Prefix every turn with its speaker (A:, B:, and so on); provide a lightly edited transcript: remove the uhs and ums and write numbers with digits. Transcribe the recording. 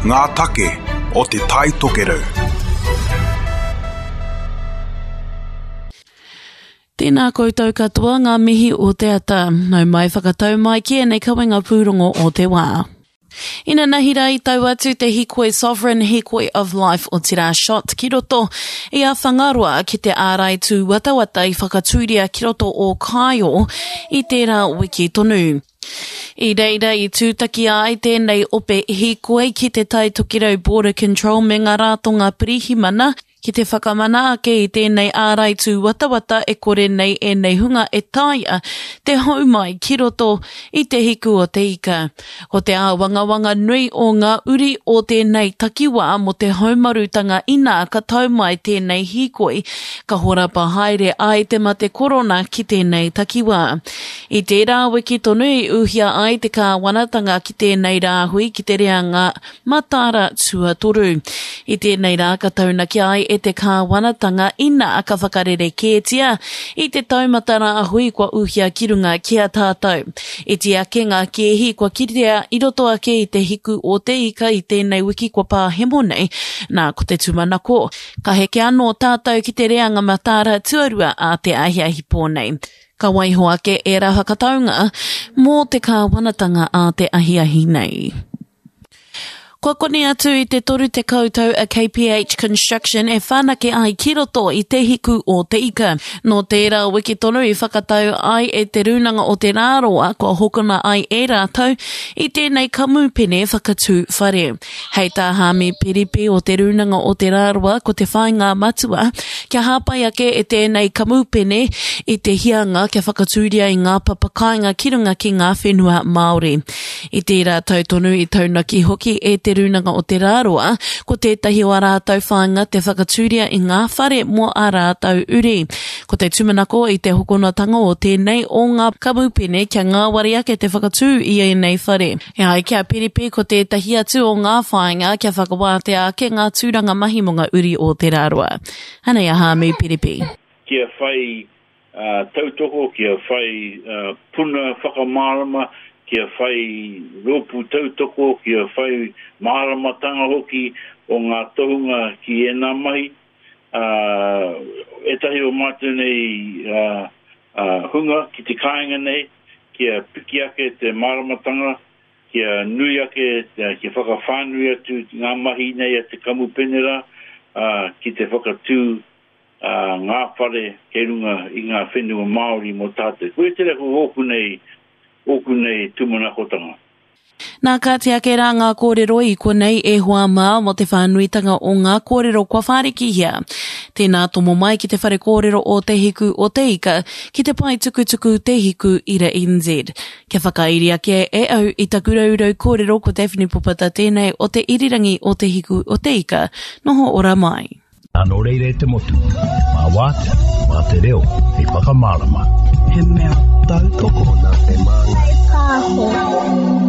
A: Ngā take o Te Tai Tokerau.
B: Tēnā koutou katoa ngā mihi o te ata. Nau mai whakatau mai ki ēnei kawenga pūrongo o te wā. Inanahi rā i tau atu te hikoi Sovereign Hikoi of Life otirā Shot ki roto i a Whangaroa ki te ārai tūwatawata i whakatūria ki roto o Kāio i tērā wiki tonu. I reira i tūtaki ai tēnei ope hīkoi ki te Tai Tokerau Border Control me ngā rātonga pirihimana ki te whakamana ake i tēnei ārai tūwatawata e kore nei ēnei hunga e taea te hou mai ki roto i te hiku o te ika. Ko te āwangawanga nui o ngā uri o tēnei takiwā mō te haumarutanga inā ka tau mai tēnei hīkoi, ka horapa haere ai te mate korona ki tēnei takiwā. I tērā wiki tonu i uhia ai te kāwanatanga ki tēnei rāhui ki te reanga mataara tuatoru. I tēnei rā ka taunaki ai e te kāwanatanga inā ka whakarerekētia i te taumata rāhui kua uhia ki runga ki a tātou. Iti ake ngā kēhi kua kitea i roto ake i te hiku o te ika i tēnei wiki kua pāhemo nei, nā ko te tūmanako, ka heke anō tātou ki te reanga mataara tuarua ā te ahiahi pō nei. Ka waiho ake ērā whakataunga mō te kāwanatanga ā te ahiahi nei. Kua koni atu i te 30 tau a KPH Construction e whanake ai ki roto i Te Hiku o Te Ika. Nō tērā wiki tonu i whakatau ai e Te Rūnanga o Te Rāroa kua hokona ai e rātou i tēnei kamupene whakatū whare. Hei tā Hāmi Piripi o Te Rūnanga o Te Rāroa ko te whāinga matua kia hāpai ake e tēnei kamupene i te hianga kia whakatūria i ngā papa kāinga ki runga ki ngā whenua Māori. I tērā tau tonu i taunaki hoki e Te Rūnanga o Te Rāroa, ko tētahi o ā rātou whāinga te whakatūria i ngā whare mō ā rātou uri. Ko te tūmanako i te hokonatanga o tēnei o ngā kamupene kia ngāwari ake te whakatū i ēnei whare. E ai ki a Piripi ko tētahi atu o ngā whāinga kia whakawātea ake ngā tūranga mahi mō ngā uri o Te Rāroa. Anei a Hāmi Piripi.
C: Kia whai tautoko, kia whai puna whakamārama, kia whai rōpū tautoko, kia whai māramatanga hoki o ngā tohunga ki ēnā mahi. Ētahi o mātou nei hunga ki te kāinga nei, kia piki ake te māramatanga, kia nui ake, kia whakawhānui atu ngā mahi nei a te kamupene rā, ki te whakatū ā, ngā whare kei runga i ngā whenua Māori mō tātou. Koia tērā ko ōku nei, ōku nei tūmanakotanga.
B: Nā, kāti ake rā ngā kōrero i konei e hoa mā mō te whānuitanga o ngā kōrero kua whārikihia. Tēnā tomo mai ki te whare kōrero o Te Hiku o Te Ika ki te pae tukutuku Te Hiku Ira NZ. Kia whakairi ake e au i taku raurau kōrero ko Daphne Popata tēnei o te irirangi o Te Hiku o Te Ika. Noho ora mai.
D: Nō reira e te motu, mā wātea, mā te reo, hei whakamārama.
E: He mea tautoko nā Te Māngai Pāho.